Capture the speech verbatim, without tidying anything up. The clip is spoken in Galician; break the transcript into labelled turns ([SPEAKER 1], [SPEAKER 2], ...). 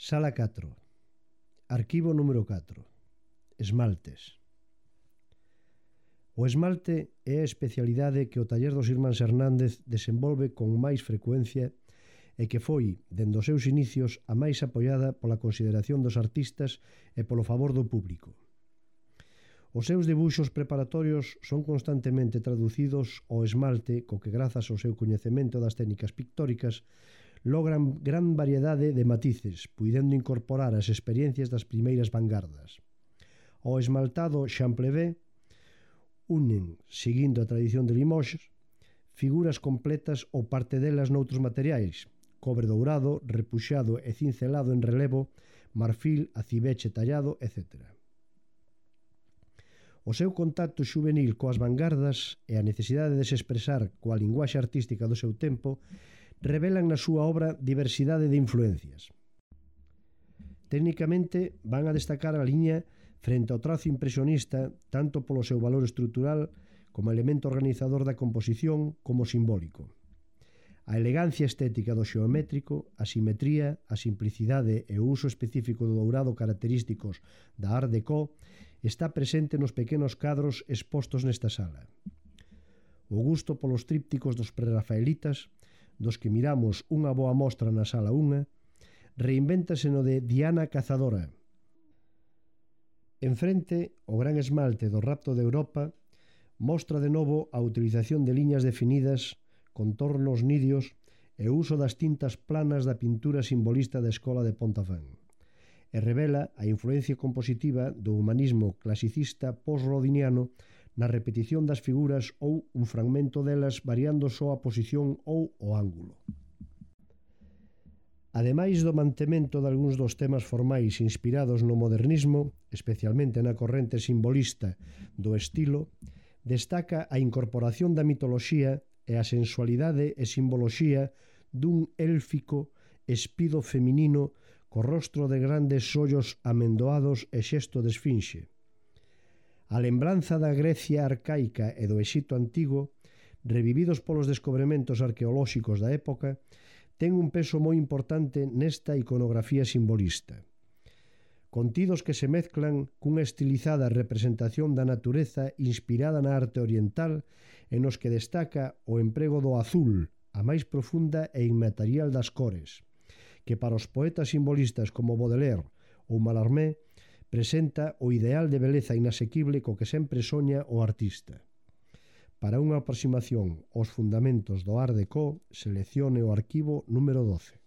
[SPEAKER 1] Sala catro. Arquivo número catro. Esmaltes. O esmalte é a especialidade que o taller dos irmáns Hernández desenvolve con máis frecuencia e que foi, dende os seus inicios, a máis apoiada pola consideración dos artistas e polo favor do público. Os seus debuxos preparatorios son constantemente traducidos ao esmalte, co que, grazas ao seu coñecemento das técnicas pictóricas, logran gran variedade de matices, puidendo incorporar as experiencias das primeiras vanguardas. O esmaltado Champlevé unen, seguindo a tradición de Limoges, figuras completas ou parte delas noutros materiais, cobre dourado, repuxado e cincelado en relevo, marfil, acibeche tallado, etcétera. O seu contacto xuvenil coas vanguardas e a necesidade de se expresar coa linguaxe artística do seu tempo revelan na súa obra diversidade de influencias. Técnicamente van a destacar a liña frente ao trazo impresionista tanto polo seu valor estrutural como elemento organizador da composición como simbólico. A elegancia estética do xeométrico, a simetría, a simplicidade e o uso específico do dourado característicos da Art Deco está presente nos pequenos cadros expostos nesta sala. O gusto polos trípticos dos prerrafaelitas, dos que miramos unha boa mostra na sala un, reinvéntase no de Diana Cazadora. Enfrente, o gran esmalte do Rapto de Europa mostra de novo a utilización de liñas definidas, contornos nidios e o uso das tintas planas da pintura simbolista da escola de Pontafán, e revela a influencia compositiva do humanismo clasicista post-rodiniano na repetición das figuras ou un fragmento delas variando só a posición ou o ángulo. Ademais do mantemento de algúns dos temas formais inspirados no modernismo, especialmente na corrente simbolista do estilo, destaca a incorporación da mitoloxía e a sensualidade e simboloxía dun élfico espido feminino co rostro de grandes ollos amendoados e xesto de esfinxe. A lembranza da Grecia arcaica e do Exipto antigo, revividos polos descobrimentos arqueolóxicos da época, ten un peso moi importante nesta iconografía simbolista. Contidos que se mezclan cunha estilizada representación da natureza inspirada na arte oriental e nos que destaca o emprego do azul, a máis profunda e inmaterial das cores, que para os poetas simbolistas como Baudelaire ou Mallarmé presenta o ideal de beleza inasequible co que sempre soña o artista. Para unha aproximación aos fundamentos do Art Deco, seleccione o arquivo número doce.